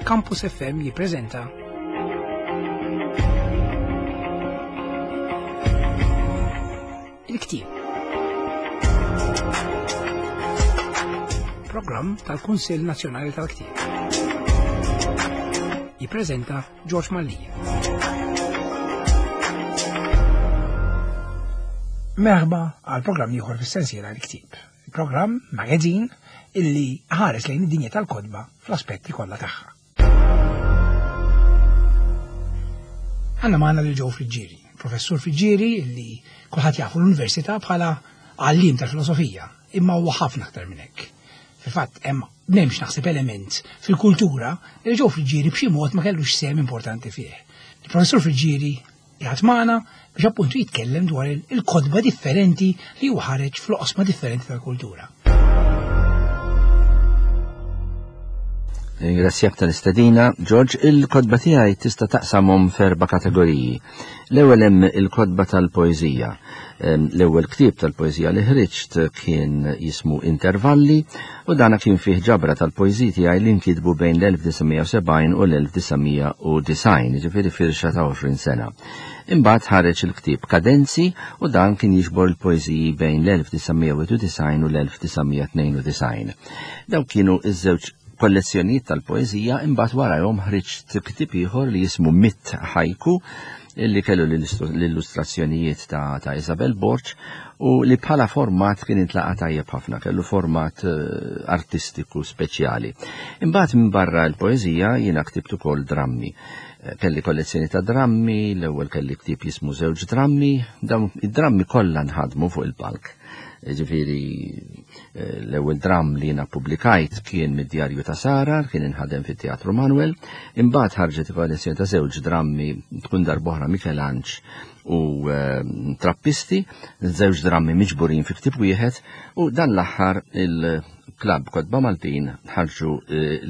Campus FM jippreżenta Il-Ktieb. Programm tal-Kunsill Nazzjonali tal-Ktieb. Jippreżenta George Mallia. Merħba għal programm ieħor fis-sensiela l-ktieb. Programm magazine illi ħares lejn id-dinja tal-kodba fl-aspetti kollha tagħha. Għanna magħna lil Joe Friġġieri, professur Friġġieri illi kulħadd jafu l-università bħala għallim tal-filosofija, imma huwa ħafna aktar minn hekk. Fil-fatt hemm m'hemmx naħseb element fil-kultura li Joe Friġġieri b'xi mod ma kellux sehem importanti fih. Il-professur Friġġieri qiegħed magħna biex appuntu jitkellem dwar il-kotba differenti li hu ħareġ fl-oqsma differenti tal-kultura. Ringrazzjak tal-istedina, George, il-kotba tiegħi tista' taqsamhom f'erba' kategoriji. L-ewwel hemm il-kotba tal-poeżija. L-ewwel ktieb tal-poeżija li ħriġt kien jismu Intervalli u dana kien fih ġabra tal-poeżiji tiegħi li nkitbu bejn l-1970 u l-1990, jiġifieri firxa ta' 20 sena. Imbagħad ħareġ il-ktieb Kadenzi u dan kien jiġbor il-poeżiji bejn l-1991 u l-1992. Dawk kienu iż-żewġ kollezzjonijiet tal-poeżija imbagħad warajhom ħriġt ktieb ieħor li jismu Mitt Ħajku illi kellu l-illustrazzjonijiet ta', ta Isabel Borg u li bħala format kien intlaqa tajjeb ħafna, kellu format eh, artistiku speċjali. Imbagħad minn barra l-poeżija jiena ktibt ukoll drammi. Eh, kelli kollezzjoni ta' drammi, l-ewwel kelli ktieb jismu żewġ drammi, dawn id-drammi kollha nħadmu fuq il-palk. Ġifieri eh, l-ewwel dramm li jiena pubblikajt kien mid-djarju ta' Sara, kien inħadem fit-Teatru Manuel, imbagħad ħarġet kollezzjoni ta' żewġ drammi tkun darbohra Mikelanġ u eh, Trappisti, żewġ drammi miġburin fi ktieb wieħed, u dan l-aħħar il-Klabb Kotba Maltin ħarġu eh,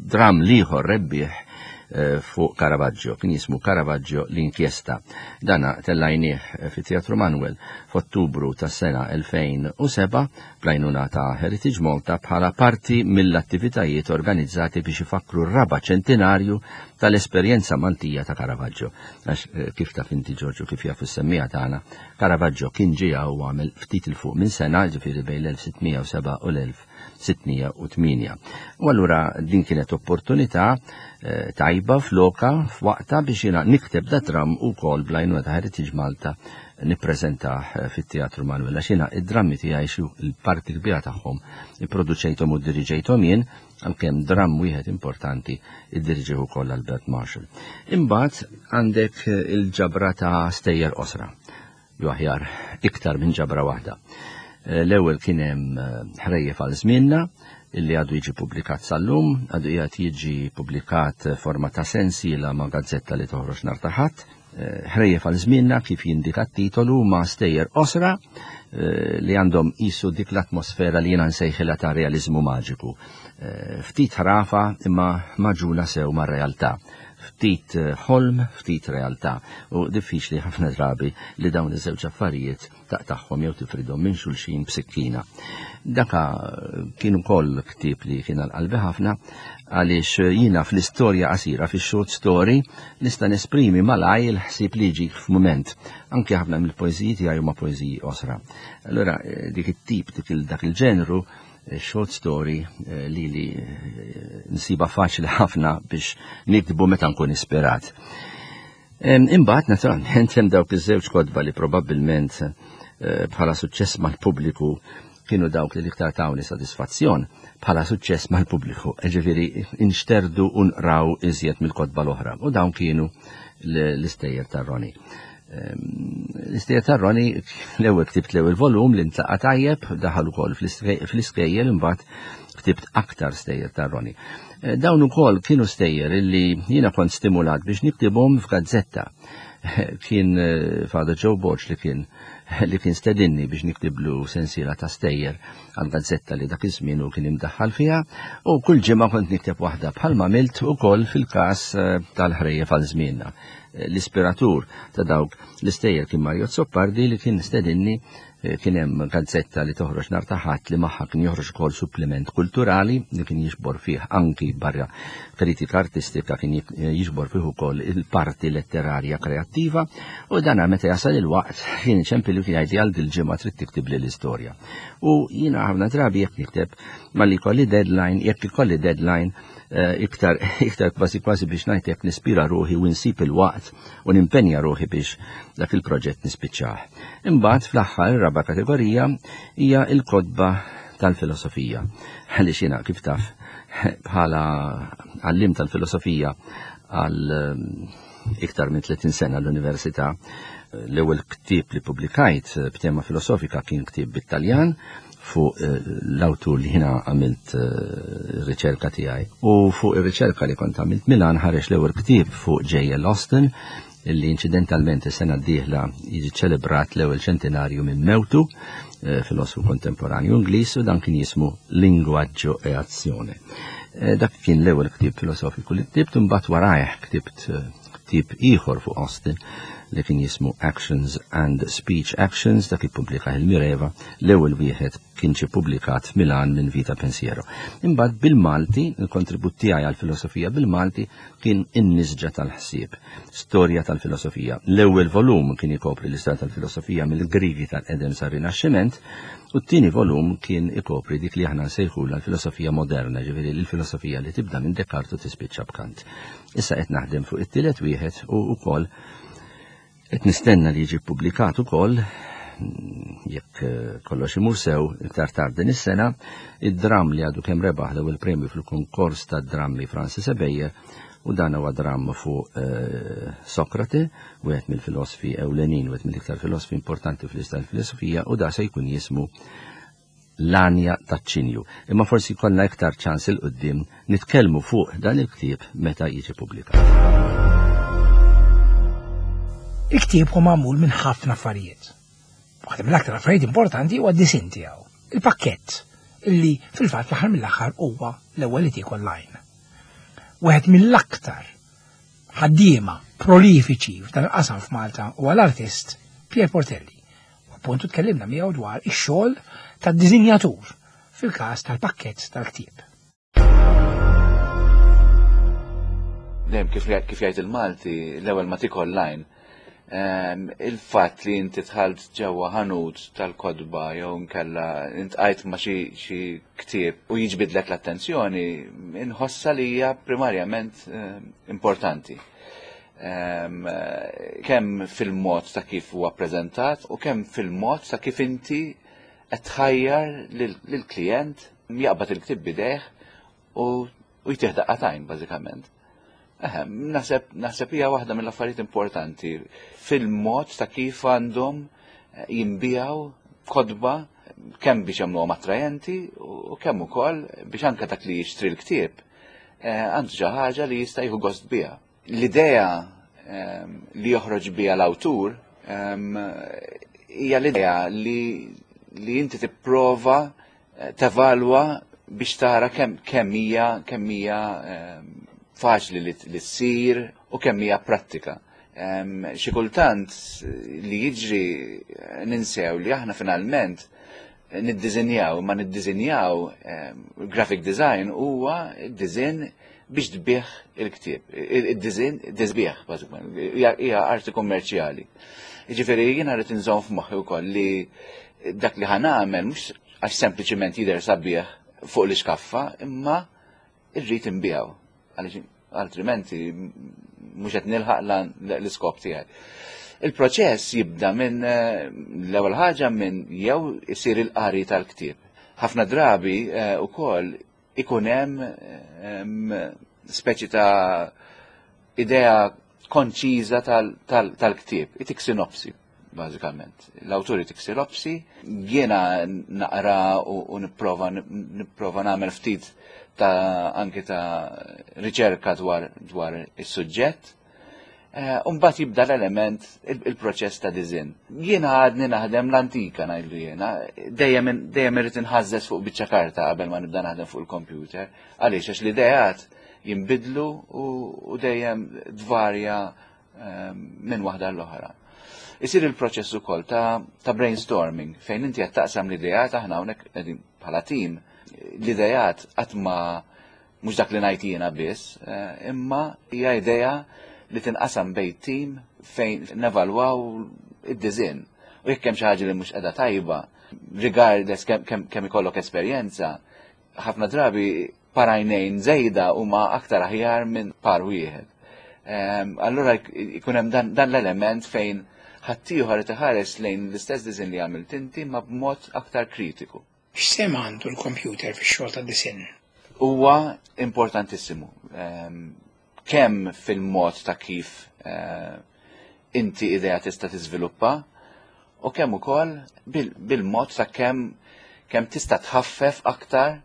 dramm liħor rebbieħ fuq Caravaggio, kien jismu Caravaggio l-inkjesta. Dana tellajnieh fi Teatru Manuel f'Ottubru tas-sena 2007 bl-għajnuna ta' Heritage Malta bħala parti mill-attivitajiet organizzati biex ifakkru r-raba' ċentinarju tal-esperjenza Maltija ta' Caravaggio. Għax eh, kif taf inti Ġorġu kif jafu s-semmija tagħna, Caravaggio kien ġie u għamel ftit il fuq minn sena, ġifieri bejn l-1607 u l-1608. U allura din kienet opportunità eh, tajba floka f'waqta biex jiena nikteb da dram ukoll bl-għajnuna ta' Heritage Malta nippreżentah eh, fit-Teatru Manuel għax jiena id-drammi tiegħi xi l-parti kbira tagħhom ipproduċejthom u ddiriġejthom jien għalkemm dramm wieħed importanti iddiriġih ukoll Albert Marshall. Imbagħad għandek eh, il-ġabra ta' stejjer qosra. Jew aħjar iktar minn ġabra waħda. Eh, l-ewwel kien hemm ħrejjef għal żmienna illi għadu jiġi publikat sal-lum, għadu qiegħed jiġi publikat forma ta' sensiela ma' gazzetta li toħroġ nhar ta' ħadd, Ħrejjef għal żmienna kif jindika t-titolu huma stejjer qosra eh, li għandhom qisu dik l-atmosfera li jiena nsejħilha ta' realiżmu maġiku. Eh, ftit ħrafa imma maġuna sew mar-realtà. Ftit eh, ħolm, ftit realtà. U diffiċli ħafna drabi li dawn iż-żewġ affarijiet taqtagħhom jew tifridhom minn xulxin b'sikkina. Daka kien ukoll ktieb li kien għal qalbi ħafna għaliex jiena fl-istorja qasira fix-short story nista' nesprimi malaj il-ħsieb li jiġik f'mument. Anke ħafna mill-poeżiji tiegħi huma poeżiji qosra. Allura eh, dik it-tip dik dak il-ġenru eh, short story eh, li li nsiba faċli ħafna biex nikdbu meta nkun ispirat. Imbagħad naturalment hemm dawk iż-żewġ kotba li probabbilment eh, bħala suċċess mal-pubbliku kienu dawk li l-iktar tawni sodisfazzjon bħala suċċess mal-pubbliku, ġifieri inxterdu u nqraw iżjed mill-kotba l-oħra. U dawn kienu l-istejjer ta' Roni. L-istejjer ta' Roni l-ewwel ktibt l-ewwel volum li ntlaqa' tajjeb, daħal ukoll fl-iskejjel imbagħad ktibt aktar stejjer ta' Roni. Eh, dawn ukoll kienu stejjer illi jiena kont stimulat biex niktibhom f'gazzetta. Kien eh, Father Joe Borg li kien li kien stedinni biex niktiblu sensiela ta' stejjer għal gazzetta li dak iż-żmien u kien imdaħħal fiha u kull ġimgħa kont nikteb waħda bħalma għamilt ukoll fil-każ eh, tal-ħrejjef għal żmienna. L-ispiratur ta' dawk l-istejjer kien Mario Zoppardi li kien stedinni Eh, kien hemm gazzetta li toħroġ nhar ta' Ħadd li magħha kien joħroġ ukoll suppliment kulturali li kien jiġbor fih anki barra kritika artistika kien eh, jiġbor fih ukoll il-parti letterarja kreattiva u dana meta jasal il-waqt kien iċempilli kien jgħidli għal dil-ġimgħa trid tiktibli l-istorja. U jiena ħafna drabi jekk nikteb malli jkolli deadline, jekk ikolli deadline eh, iktar iktar kważi kważi biex ngħid jekk nispira ruħi u nsib il-waqt u nimpenja ruħi biex dak il-proġett nispiċċah. Imbagħad fl-aħħar ir-raba' kategorija hija l-kotba tal-filosofija. Għaliex jiena kif taf bħala għallim tal-filosofija għal ehm, iktar minn 30 sena l-università, l-ewwel ktieb li pubblikajt b'tema filosofika kien ktieb bit-Taljan fuq eh, l-awtur li jina għamilt eh, riċerka tiegħi. U fuq ir-riċerka li kont għamilt Milan ħareġ l-ewwel ktieb fuq J.L. Austin illi inċidentalment is-sena d-dieħla jiġi ċelebrat l-ewwel ċentenarju minn mewtu, eh, filosfu kontemporanju Ingliż u dan kien jismu Lingwaggio e Azione. Dak kien l-ewwel ktieb filosofiku li ktibt imbagħad warajh ktibt ktieb ieħor fuq Austin li kien jismu Actions and Speech Actions dak ippubblika il-Mireva l-ewwel wieħed kien ġie ppubblikat f'Milan minn Vita Pensiero. Imbagħad bil-Malti, il-kontribut tiegħi għall-filosofija bil-Malti kien In-Nisġa tal-Ħsieb, Storja tal-Filosofija. L-ewwel volum kien ikopri l-istorja tal-filosofija mill-Griegi tal-qedem sar-Rinaxximent u t-tieni volum kien ikopri dik li aħna nsejħulha l-filosofija moderna, ġifieri l-filosofija li tibda minn Descartes u tispiċċa b'Kant. Issa qed naħdem fuq it-tielet wieħed u wkoll qed nistenna li jiġi ppubblikat ukoll jekk eh, kollox imur sew iktar tard din is-sena, id-dramm li għadu kemm rebaħ l-ewwel premju fil-konkors tad-drammi Francis Ebejer u dan huwa dramm fuq eh, Sokrate, wieħed mill-filosfi ewlenin, wieħed mill-iktar filosfi importanti fl-istorja tal-filosofija u da se jkun jismu l-għanja taċ-ċinju. Imma forsi jkollna iktar ċans 'il quddiem nitkellmu fuq dan il-ktieb meta jiġi pubblikat. Il-ktieb hu magħmul minn ħafna affarijiet. Waħda mill-aktar affarijiet importanti huwa d-disinn tiegħu, il-pakkett, illi fil-fatt fl-aħħar mill-aħħar huwa l-ewwel li tiekol l-għajn. Wieħed mill-aktar ħaddiema prolifiċi f'dan il-qasam f'Malta huwa l-artist Pier Portelli. U appuntu tkellimna miegħu dwar ix-xogħol tad-disinjatur fil-każ tal-pakkett tal-ktieb. Dejjem kif kif jgħid il-Malti, l-ewwel ma tikol lajn. Ehm, il-fatt li inti tħalt ġewwa ħanut tal-kodba jew nkella intqajt ma xi ktieb u jiġbidlek l-attenzjoni, inħossa li hija primarjament ehm, importanti. Ehm, kemm fil-mod ta' kif huwa ppreżentat u kemm fil-mod ta' kif inti qed tħajjar lill-klijent jaqbad il-ktieb bidejh u jtih daqqa t'għajn bażikament. Eħe, naħseb naħseb hija waħda mill-affarijiet importanti fil-mod ta' kif għandhom eh, jinbijaw kodba kemm biex jagħmluhom attrajenti u kemm ukoll biex anke dak li jixtri l-ktieb eh, għandu xi ħaġa li jista' jieħu gost biha. L-idea ehm, li joħroġ biha l-awtur ehm, hija l-idea li li inti tipprova eh, tevalwa biex tara kemm kemm hija kemm hija ehm, faċli li ssir u kemm hija prattika. Xi kultant li jiġri eh, ninsew li aħna finalment niddiżinjaw, ma niddiżinjaw graphic design huwa design biex tbih il-ktieb. Id-design tisbieħ bażikament, hija arti kummerċjali. Jiġifieri jiena rrid inżomm f'moħħi wkoll li dak li ħanagħmel mhux għax sempliċiment jidher sabiħ fuq l-iskaffa, imma irrid inbiegħu għaliex altrimenti mhux qed nilħaq l-iskop tiegħi. Il-proċess jibda minn eh, l-ewwel ħaġa minn jew isir il-qari tal-ktieb. Ħafna drabi eh, ukoll ikun hemm ehm, speċi ta' idea konċiża tal-ktieb, itik sinopsi bażikament. L-awtur itik sinopsi, jiena naqra u nipprova nipprova nagħmel ftit ta' anke ta' riċerka dwar dwar is-suġġett. Eh, u mbagħad jibda l-element il-proċess ta' diżin. Jiena għadni naħdem l-antika ngħidlu jiena, dejjem dejjem irid inħażżeż fuq biċċa karta qabel ma nibda naħdem fuq il-computer. Għaliex għax l-ideat jinbidlu u dejjem tvarja ehm, minn waħda l-oħra. Isir il-proċess ukoll ta', ta brainstorming fejn inti qed taqsam l-ideat aħna hawnhekk qegħdin bħala tim l-ideat qatt ma mhux dak li ngħid jiena biss, eh, imma hija idea li tinqasam bejn tim fejn nevalwaw id-diżinn. U jekk hemm xi ħaġa li mhux qiegħda tajba, regardless kemm ikollok esperjenza, ħafna drabi par għajnejn żejda huma aktar aħjar minn par wieħed. Ehm, allura jkun hemm dan, dan l-element fejn ħaddieħor qed iħares lejn l-istess diżinn li għamilt inti ma b'mod aktar kritiku. X'sehem għandu l-kompjuter fix-xogħol tad-disinn? Huwa importantissimu. Ehm, kemm fil-mod ta' kif eh, inti idea tista' tiżviluppa u kemm ukoll bil-mod ta' kemm kemm tista' tħaffef aktar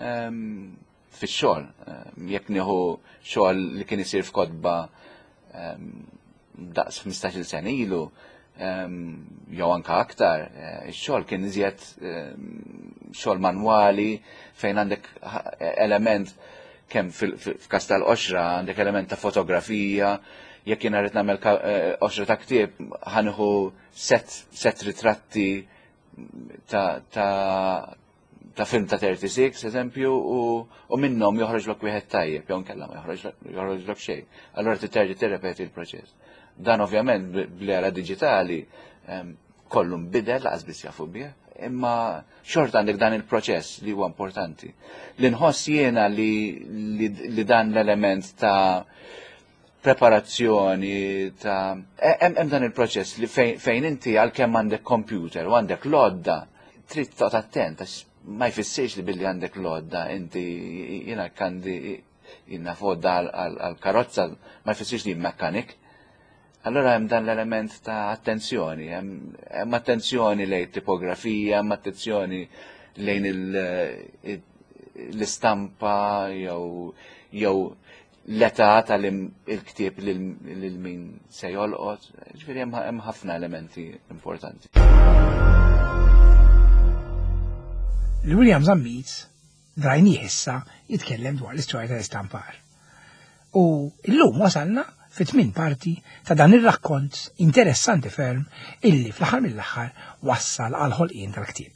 ehm, fix-xogħol. Ehm, jekk nieħu xogħol li kien isir f'kotba ehm, daqs 15-il sena ilu, jew anka aktar, eh, ix-xogħol kien iżjed xogħol manwali fejn għandek element kemm f'każ tal-qoxra għandek element ta' fotografija, jekk jiena rrid nagħmel eh, qoxra ta' ktieb ħanħu set, set ritratti ta', ta ta' film ta' 36, eżempju, u, u minnhom joħroġlok wieħed tajjeb, jew nkella ma joħroġlok xejn. Allura titerġa' tirrepeti l-proċess. Dan ovvjament bl-era diġitali kollu nbidel laqas biss jafu bih, imma xorta għandek dan il-proċess li huwa importanti. Li nħoss jiena li, li, li dan l-element ta' preparazzjoni ta' e, hemm dan il-proċess li fejn inti għalkemm għandek computer u għandek lodda trid toqgħod attent għax ma jfissirx li billi għandek lodda inti jiena kandi jiena fodda għal karozza ma jfissirx li mekkanik. Allora hemm dan l-element ta' attenzjoni, hemm attenzjoni lejn tipografija, hemm attenzjoni lejn l-istampa jew jew l-età tal-ktieb lil min se jolqot, ġifieri hemm ħafna elementi importanti. William Zammit drajnih issa jitkellem dwar l-istorja tal-istampar. U illum wasalna fit-tmien parti ta' dan ir-rakkont interessanti ferm illi fl-aħħar mill-aħħar wassal għal ħolqien tal-ktieb.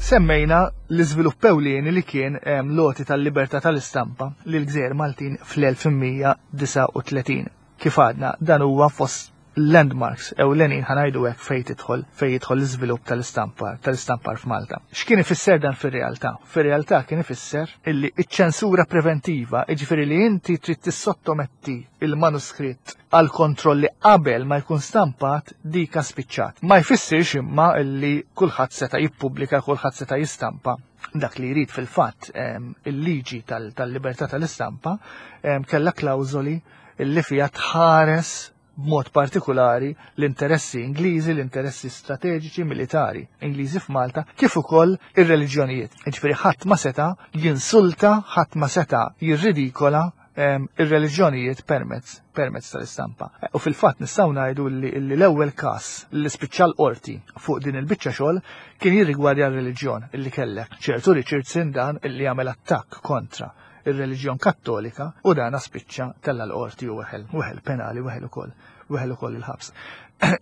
Semmejna l-iżvilupp ewlieni li kien l-għoti tal-libertà tal-istampa lil gżejjer Maltin fl-1839. Kif għadna, dan huwa fost landmarks ewlenin ħa ngħidu hekk fejn tidħol fejn jidħol l-iżvilupp tal-istampar tal-istampar f'Malta. X'kien ifisser dan fir-realtà? Fir-realtà kien ifisser illi iċ-ċensura preventiva, jiġifieri li inti trid tissottometti il-manuskritt għal kontrolli qabel ma jkun stampat dika spiċċat. Ma jfissirx imma illi kulħadd seta' jippubblika, kulħadd seta' jistampa dak li jrid fil-fatt il-liġi tal-libertà tal-istampa kellha klawżoli illi fiha tħares b'mod partikolari l-interessi Ingliżi, l-interessi strateġiċi militari Ingliżi f'Malta, kif ukoll ir-reliġjonijiet. Jiġifieri ħadd ma seta' jinsulta, ħadd ma seta' jirridikola ir-reliġjonijiet permezz permezz tal-istampa. U fil-fatt nistgħu ngħidu li l-ewwel każ li spiċċa l-qorti fuq din il-biċċa xogħol kien jirrigwardja r-reliġjon illi kellek ċertu Richardson dan illi għamel attakk kontra ir-reliġjon Kattolika u dana spiċċa tella l-qorti u weħel, weħel penali, weħel ukoll, weħel ukoll il-ħabs.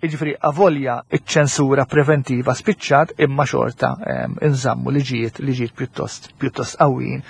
Jiġifieri avolja iċ-ċensura preventiva spiċċat imma xorta inżammu liġijiet liġijiet pjuttost pjuttost qawwijin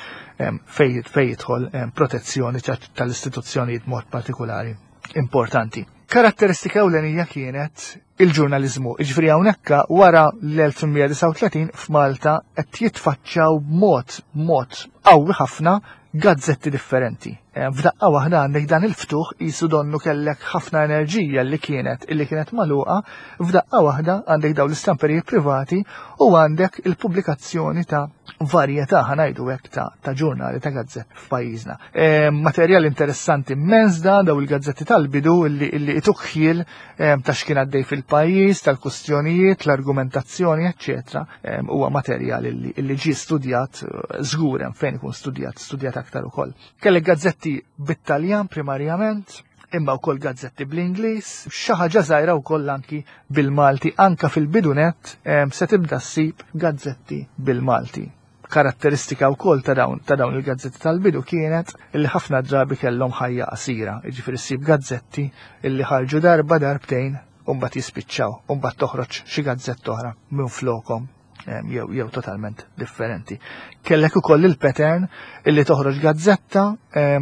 fejn fej jidħol protezzjoni tal-istituzzjonijiet mod partikolari importanti. Karatteristika ewlenija kienet il-ġurnaliżmu. Jiġifieri hawnhekk wara l-1839 f'Malta qed jitfaċċaw b'mod mod qawwi ħafna gazzetti differenti. Eh, f'daqqa waħda għandek dan il-ftuħ jisu donnu kellek ħafna enerġija li kienet illi kienet magħluqa, f'daqqa waħda għandek dawn l-istamperijiet privati u għandek il-pubblikazzjoni ta' varjetà ħa ngħidu hekk ta', ta' ġurnali ta' gazzett f'pajjiżna. E, materjal interessanti immens da daw il-gazzetti tal-bidu illi, illi ituk ħjiel e, ta' x'kien għaddej fil-pajjiż, tal-kustjonijiet, l-argumentazzjoni, eccetera. E, huwa materjal illi, illi ġie studjat żgur hemm fejn ikun studjat, studjat aktar ukoll. Kellek gazzetti bit-Taljan primarjament, imma wkoll gazzetti bl-Ingliż, xi ħaġa żgħira wkoll anki bil-Malti, anka fil-bidunet se tibda ssib gazzetti bil-Malti. Karatteristika wkoll ta' dawn ta' dawn il-gazzetti tal-bidu kienet illi ħafna drabi kellhom ħajja qasira, jiġifieri ssib gazzetti illi ħarġu darba darbtejn u mbagħad jispiċċaw u mbagħad toħroġ xi gazzetta oħra minn flokhom jew jew totalment differenti. Kellek ukoll il-pattern illi toħroġ gazzetta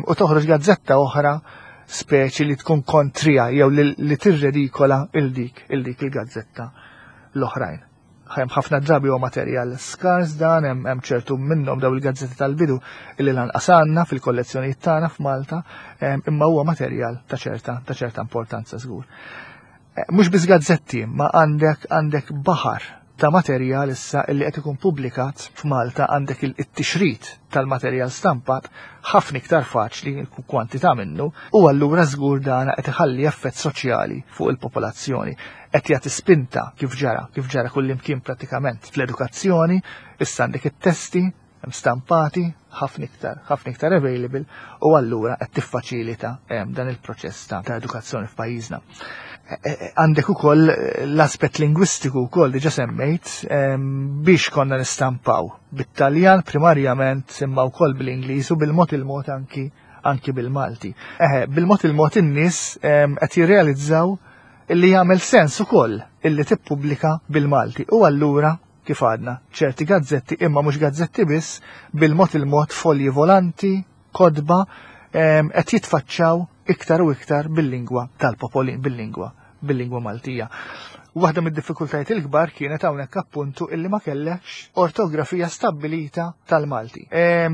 u toħroġ gazzetta oħra speċi li tkun kontrija jew li tirredikola il dik il dik il-gazzetta l-oħrajn. Hemm ħafna drabi huwa materjal skars dan, hemm ċertu minnhom daw il-gazzetti tal-bidu illi lanqas għandna fil-kollezzjonijiet tagħna f'Malta, imma huwa materjal ta' ċerta ta' ċerta importanza żgur. Eh, mhux biss gazzetti, ma għandek għandek baħar ta' materjal issa illi qed ikun pubblikat f'Malta għandek it-tixrid tal-materjal stampat ħafna iktar faċli kwantità minnu u allura żgur dana qed iħalli effett soċjali fuq il-popolazzjoni. Qed jagħti spinta kif ġara, kif ġara kullimkien pratikament fl-edukazzjoni, issa għandek it-testi hemm stampati ħafna iktar, ħafna iktar available u allura qed tiffaċilita dan il-proċess ta' edukazzjoni f'pajjiżna. E, e, e, għandek ukoll l-aspett lingwistiku wkoll diġà semmejt biex konna nistampaw bit-Taljan primarjament imma wkoll bil-Ingliż u bil-mod il-mod anki anki bil-Malti. Eħe, bil-mod il-mod in-nies qed jirrealizzaw illi jagħmel sens ukoll illi tippubblika bil-Malti u allura kif għadna, ċerti gazzetti imma mhux gazzetti biss, bil-mod il-mod folji volanti, kotba, qed jitfaċċaw iktar u iktar bil-lingwa tal-popolin, bil-lingwa bil-lingwa Maltija. Waħda mid-diffikultajiet il-kbar kienet hawnhekk appuntu illi ma kellekx ortografija stabbilita tal-Malti.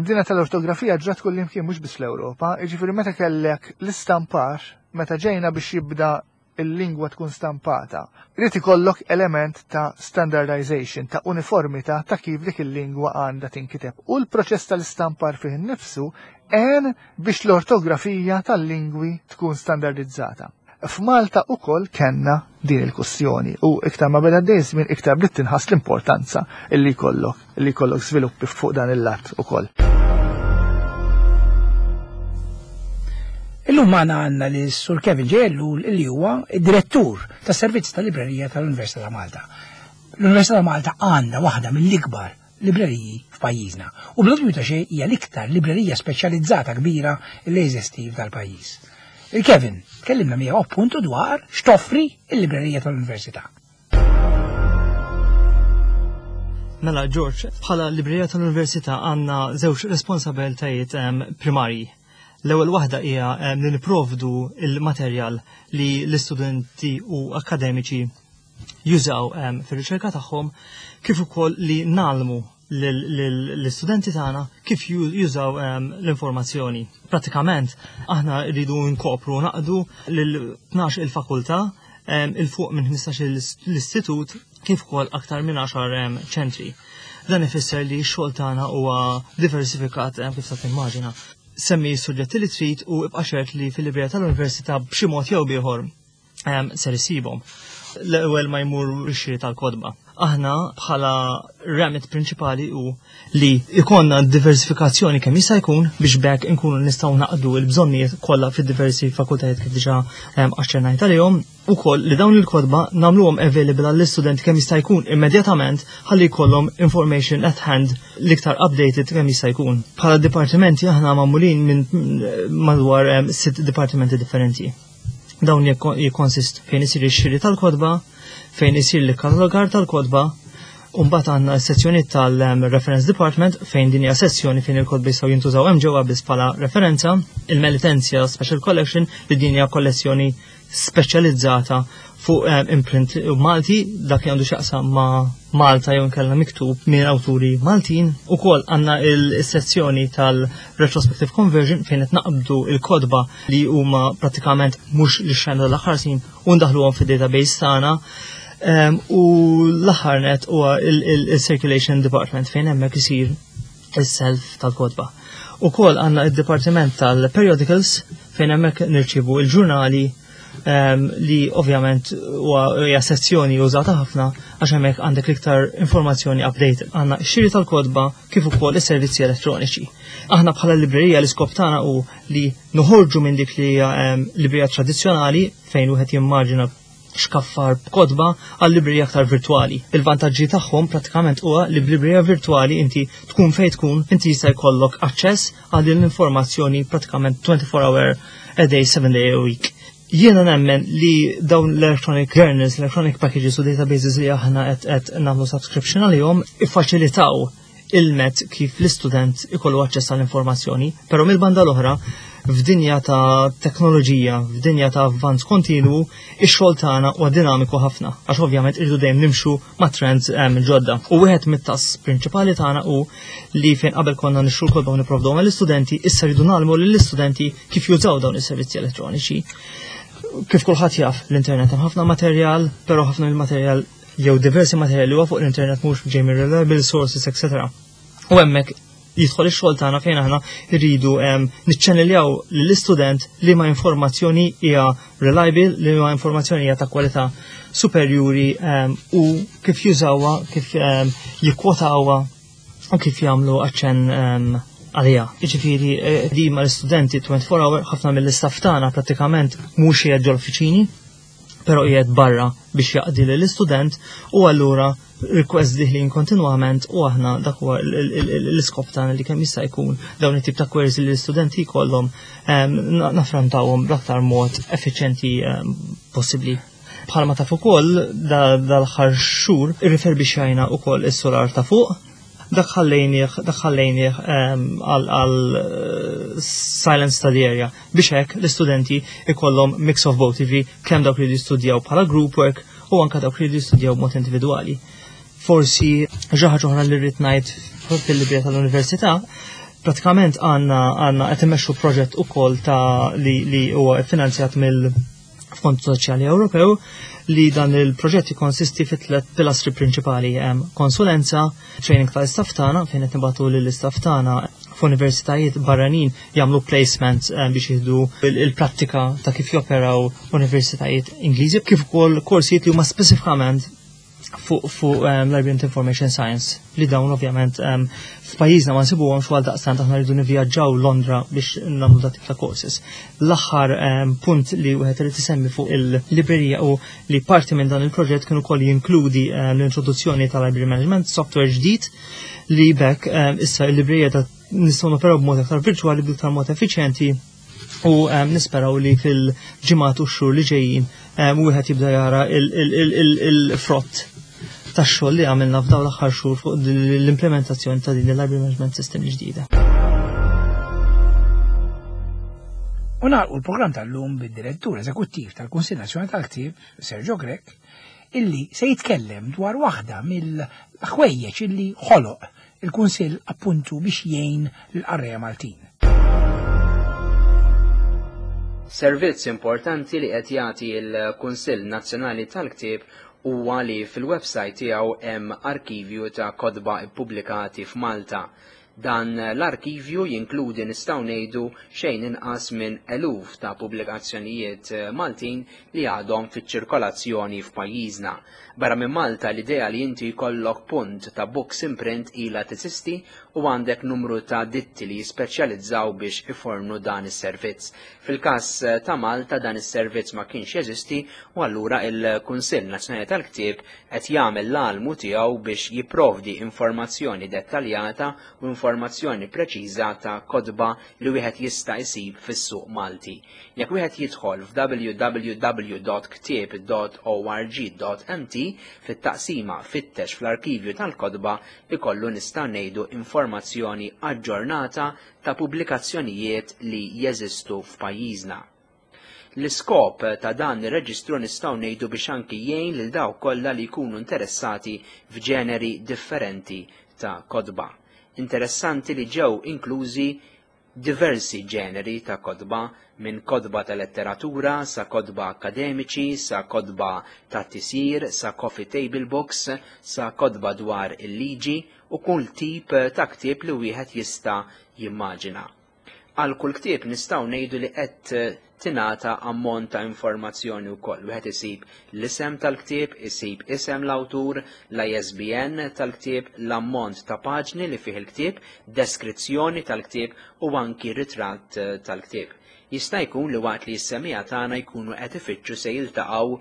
Dina tal-ortografija ġrat kullimkien mhux biss fl-Ewropa, jiġifieri meta kellek l-istampar, meta ġejna biex jibda il-lingwa tkun stampata, irid ikollok element ta' standardization, ta' uniformità ta' kif dik il-lingwa għandha tinkiteb. U l-proċess tal-istampar fih innifsu għen biex l-ortografija tal-lingwi tkun standardizzata. F'Malta ukoll kellna din il-kwestjoni u iktar ma beda għaddej żmien iktar bdiet tinħass l-importanza illi jkollok illi jkollok żviluppi fuq dan il-lat ukoll. Illum magħna għandna li Sur Kevin J. Ellul li huwa id-direttur tas-servizz tal-librerija tal-Università ta' Malta. L-Università ta' Malta għandha waħda mill-ikbar libreriji f'pajjiżna u bla dubju ta' xejn hija l-iktar librerija speċjalizzata kbira li jeżisti f'dal-pajjiż. Il-Kevin, tkellimna miegħu appuntu dwar x'toffri l-librerija tal-Università. Mela, George, bħala librerija tal-Università għandna żewġ responsabiltajiet primarji. L-ewwel waħda hija li nipprovdu il-materjal li l-istudenti u akademiċi jużaw fir-riċerka tagħhom kif ukoll li nagħlmu l-istudenti tagħna kif jużaw l-informazzjoni. Pratikament aħna rridu nkopru naqdu lil 12 il-fakultà il fuq minn 15 l-istitut kif ukoll aktar minn 10 ċentri. Dan ifisser li x-xogħol tagħna huwa diversifikat kif sa timmaġina. Semmi s-suġġetti li trid u ibqa' ċert li fil-librerija tal-università b'xi mod jew b'ieħor ser isibhom. L-ewwel ma jmur ix-xiri tal-kotba. Aħna bħala remit prinċipali hu li ikonna diversifikazzjoni kemm jista' jkun biex bekk inkunu nistgħu naqdu l-bżonnijiet kollha fid-diversi fakultajiet kif diġà aċċennajt għalihom ukoll li dawn il-kotba nagħmluhom available għall-istudenti kemm jista' jkun immedjatament ħalli jkollhom information at hand l-iktar updated kemm jista' jkun. Bħala dipartimenti aħna magħmulin minn madwar sitt dipartimenti differenti. Dawn jikkonsistu fejn isir ix-xiri tal-kotba, fejn isir l-katalogar tal-kotba, u mbagħad għandna s-sezzjoni tal-Reference Department fejn din hija sezzjoni fejn il-kotba jistgħu jintużaw hemm ġewwa biss bħala referenza, il-Melitensia Special Collection li din hija kollezzjoni speċjalizzata fuq imprint Malti dak li għandu x'jaqsam ma' Malta jew inkella miktub minn awturi Maltin. Ukoll għandna il-sezzjoni tal-Retrospective Conversion fejn qed naqbdu il-kotba li huma pratikament mhux li xena l-aħħar snin u ndaħluhom fid-database tagħna. U l-aħħar net huwa il-Circulation Department fejn hemmhekk isir is-self tal-kotba. Ukoll għandna id-Dipartiment tal-Periodicals fejn hemmhekk nirċievu il-ġurnali li ovvjament huwa sezzjoni użata ħafna għax hemmhekk għandek l-iktar informazzjoni update. Għandna x-xiri tal-kotba kif ukoll is-servizzi elettroniċi. Aħna bħala librerija l-iskop tagħna hu li noħorġu minn dik li hija librerija tradizzjonali fejn wieħed jimmaġina xkaffar b'kotba għal librerija aktar virtwali. Il-vantaġġi tagħhom prattikament huwa li b'librerija virtwali inti tkun fejn tkun, inti jista' jkollok aċċess għal din l-informazzjoni prattikament 24 hour a day, 7 day a week. Jiena nemmen li dawn l-electronic journals, electronic packages u databases li aħna qed nagħmlu subscription għalihom iffaċilitaw il-met kif l-istudent ikollu aċċess għall-informazzjoni, però mill-banda l-oħra f'dinja ta' teknoloġija, f'dinja ta' avvanz kontinwu, ix-xogħol tagħna huwa dinamiku ħafna, għax ovvjament irridu dejjem nimxu ma' trends ġodda. U wieħed mit-tasks prinċipali tagħna hu li fejn qabel konna nixtru l-kotba u nipprovduhom għall-istudenti, issa rridu nagħlmu lill-istudenti kif jużaw dawn is-servizzi elettroniċi. Kif kulħadd jaf, l-internet hemm ħafna materjal, però ħafna mill-materjal jew diversi materjali huwa fuq l-internet mhux ġej minn reliable sources, etc. U hemmhekk jidħol ix-xogħol tagħna fejn aħna rridu niċċaniljaw lill-istudent li ma informazzjoni hija reliable, li ma informazzjoni hija ta' kwalità superjuri u kif jużawha, kif jikkwotawha u kif jagħmlu aċċenn għalija. Jiġifieri di ma l-istudenti 24 hour ħafna mill-istaff tagħna prattikament mhux qiegħed ġol-uffiċini, però qiegħed barra biex jaqdi lill-istudent u allura request diħlin kontinwament u aħna dak huwa l-iskop tagħna li kemm jista' jkun dawn it-tip ta' queries li l-istudenti jkollhom naffrontawhom bl-aktar mod effiċjenti possibbli. Bħalma taf ukoll dal-aħħar xhur irriferbixxajna wkoll is-solar ta' fuq, dak ħallejnieh għal silent study area biex hekk l-istudenti ikollhom mix of both, jiġifieri kemm dawk li jistudjaw bħala group work u anke dawk li jistudjaw b'mod individwali. Forsi xi ħaġa oħra li rrid ngħid fil-librerija tal-università, pratikament għandna qed immexxu proġett ukoll ta' li huwa finanzjat mill-Fond Soċjali Ewropew, li dan il-proġett jikkonsisti fi tliet pilastri prinċipali: hemm konsulenza, training tal-istaff tagħna fejn qed nibagħtu lill-istaff tagħna f'universitajiet barranin jagħmlu placements biex jieħdu il-prattika ta' kif joperaw universitajiet Ingliżi, kif ukoll korsijiet li huma speċifikament fuq Library and Information Science, li dawn ovvjament f'pajjiżna ma nsibuhomx għal daqstant aħna rridu nivvjaġġaw Londra biex nagħmlu dat tip ta' courses. L-aħħar punt li wieħed irid isemmi fuq il-librerija u li parti minn dan il-proġett kienu ukoll jinkludi l-introduzzjoni ta' Library Management Software ġdid li bekk issa il-librerija ta' nistgħu noperaw b'mod aktar virtuali, b'iktar mod effiċjenti u nisperaw li fil-ġimgħat u x-xhur li ġejjin wieħed jibda jara il-frott tax-xogħol li għamilna f'dawn l-aħħar xhur fuq l-implementazzjoni ta' din il-Library Management System ġdida. U nagħlqu l-programm tal-lum bid-Direttur Eżekuttiv tal-Kunsill Nazzjonali tal-Ktieb, Sergio Grech, illi se jitkellem dwar waħda mill-ħwejjeġ illi ħoloq il-Kunsill appuntu biex jgħin l-qarrejja Maltin. Servizz importanti li qed jagħti l-Kunsill Nazzjonali tal-Ktieb huwa li fil-website tiegħu hemm arkivju ta' kotba ippubblikati f'Malta. Dan l-arkivju jinkludi nistgħu ngħidu xejn inqas minn eluf ta' pubblikazzjonijiet Maltin li għadhom fiċ-ċirkolazzjoni f'pajjiżna. Barra minn Malta l-idea li inti jkollok punt ta' books in print ilha teżisti u għandek numru ta' ditti li jispeċjalizzaw biex ifornu dan is-servizz. Fil-każ ta' Malta dan is-servizz ma kienx jeżisti u allura il-Kunsill Nazzjonali tal-Ktieb qed jagħmel l-almu tiegħu biex jipprovdi informazzjoni dettaljata u informazzjoni preċiża ta' kotba li wieħed jista' jsib fis-suq Malti. Jekk wieħed jidħol f'w w w dot ktieb dot o r g dot m t fit-taqsima fittex fl-arkivju tal-kotba ikollu nista' ngħidu informazzjoni aġġornata ta' pubblikazzjonijiet li jeżistu f'pajjiżna. L-iskop ta' dan ir-reġistru nistgħu ngħidu biex anki jgħin lil dawk kollha li jkunu interessati f'ġeneri differenti ta' kotba. Interessanti li ġew inklużi diversi ġeneri ta' kotba, minn kotba ta' letteratura sa' kotba akademiċi, sa' kotba ta' tisjir, sa' coffee table books, sa' kotba dwar il-liġi u kull tip ta' ktieb li wieħed jista' jimmaġina. Għal kull ktieb nistgħu ngħidu li qed tingħata ammont ta' informazzjoni wkoll. Wieħed isib l-isem tal-ktieb, isib isem l-awtur, l-ISBN tal-ktieb, l-ammont ta' paġni li fih il-ktieb, deskrizzjoni tal-ktieb u anki ritratt tal-ktieb. Jista' jkun li waqt li s-semmiegħa tagħna jkunu qed ifittxu se jiltaqgħu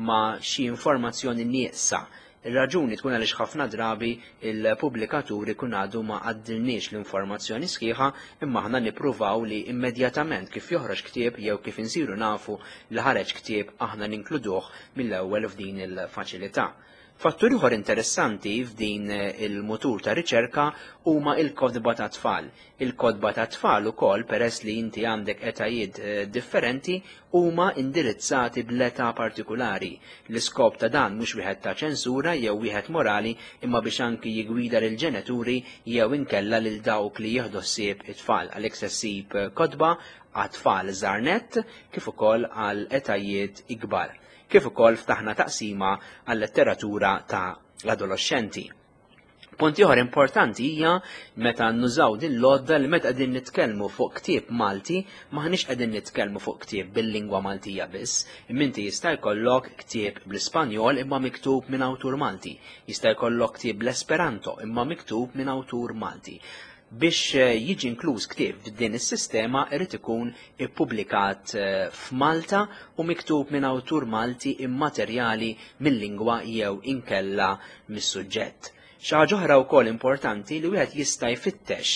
ma' xi informazzjoni nieqsa. Ir-raġuni tkun għaliex ħafna drabi il-pubblikatur ikun għadu ma għaddilniex l-informazzjoni sħiħa imma aħna nippruvaw li immedjatament kif joħroġ ktieb jew kif insiru nafu li ħareġ ktieb aħna ninkluduh mill-ewwel f'din il-faċilità. Fattur ieħor interessanti f'din il-mutur ta' riċerka huma il-kotba ta' tfal. Il-kotba ta' tfal ukoll peress li inti għandek etajiet eh, differenti huma indirizzati bl-età partikulari. L-iskop ta' dan mhux wieħed ta' ċensura jew wieħed morali imma biex anki jigwida lil ġenituri jew inkella lil dawk li jieħdu ħsieb it-tfal għalhekk se ssib kotba għat-tfal żgħar nett kif ukoll għal etajiet ikbar. Kif ukoll ftaħna taqsima għal-letteratura ta' l-adoloxxenti. Punt ieħor importanti hija meta nużaw din l-għodda li meta qegħdin nitkellmu fuq ktieb Malti maħniex qegħdin nitkellmu fuq ktieb bil-lingwa Maltija biss. Imma inti jista' jkollok ktieb bl-Ispanjol imma miktub minn awtur Malti. Jista' jkollok ktieb bl-Esperanto imma miktub minn awtur Malti. Biex eh, jiġi inkluż ktieb f'din is-sistema irid ikun ippubblikat eh, f'Malta u miktub minn awtur Malti immaterjali mill-lingwa jew inkella mis-suġġett. Xi ħaġa oħra wkoll importanti li wieħed jista' jfittex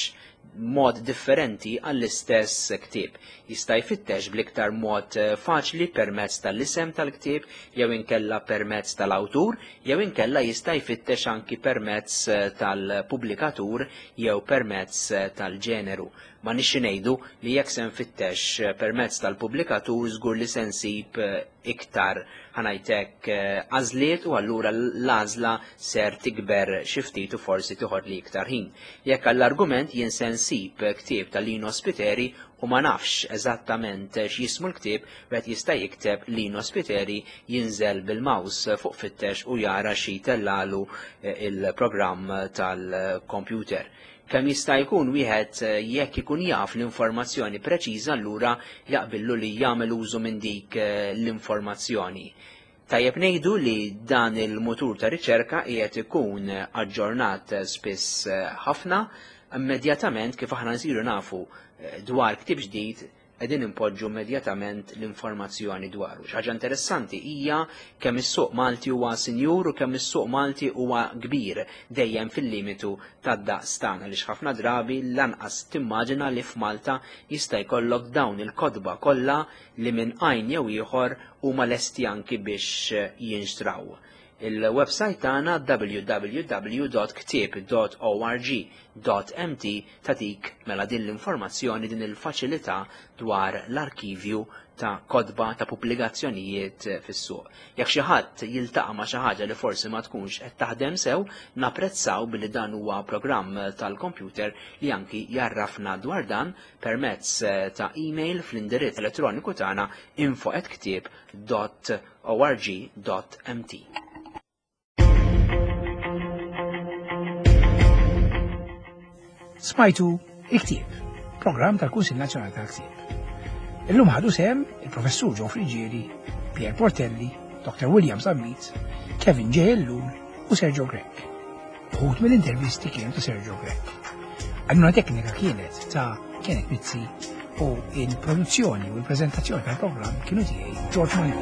mod differenti għall-istess ktieb. Jista' jfittex bl-iktar mod eh, faċli permezz tal-isem tal-ktieb jew inkella permezz tal-awtur jew inkella jista' jfittex anki permezz eh, tal-pubblikatur jew permezz eh, tal-ġeneru. Ma nixi ngħidu li jekk se nfittex permezz tal-pubblikatur żgur li se nsib iktar ħanajtek għażliet u allura l-għażla ser tikber xi ftit u forsi tieħod li iktar ħin. Jekk għall-argument jien se nsib ktieb ta' Lino Spiteri u ma nafx eżattament x'jismu l-ktieb, wieħed jista' jikteb Lino Spiteri jinżel bil-mouse fuq fittex u jara xi tellalu eh, il-programm tal-computer. Kemm jista' jkun wieħed eh, jekk ikun jaf l-informazzjoni preċiża allura jaqbillu li jagħmel użu minn dik eh, l-informazzjoni. Tajjeb ngħidu li dan il-mutur ta' riċerka qiegħed ikun aġġornat spiss ħafna immedjatament kif aħna nsiru nafu dwar ktieb ġdid qegħdin impoġġu immedjatament l-informazzjoni dwaru. Xi ħaġa interessanti hija kemm is-suq Malti huwa sinjur u kemm is-suq Malti huwa kbir dejjem fil-limitu tad-daqs tagħna li ħafna drabi lanqas timmaġina li f'Malta jista' jkollok dawn il-kotba kollha li minn għajn jew ieħor huma lesti anki biex jinxtraw. Il-website tagħna www.ktieb.org.mt tatik mela din l-informazzjoni din il-faċilità dwar l-arkivju ta' kotba ta' pubblikazzjonijiet fis-suq. Jekk xi ħadd jiltaqa' ma' xi ħaġa li forsi ma tkunx qed taħdem sew, napprezzaw billi dan huwa programm tal-computer li anki jarrafna dwar dan permezz ta' email fl-indirizz elettroniku tagħna info@ktieb.org.mt. Smajtu il-ktieb, programm tal-Kunsill Nazzjonali tal-Ktieb. Illum ħadu sehem il-Professur Joe Friggieri, Pierre Portelli, Dr. William Zammit, Kevin J. Ellul u Sergio Grech. Uħud mill-intervisti kienu ta' Sergio Grech. Għajnuna teknika kienet ta' Kenneth Mizzi u il-produzzjoni u l-prezentazzjoni tal-programm kienu tiegħi George Mallia.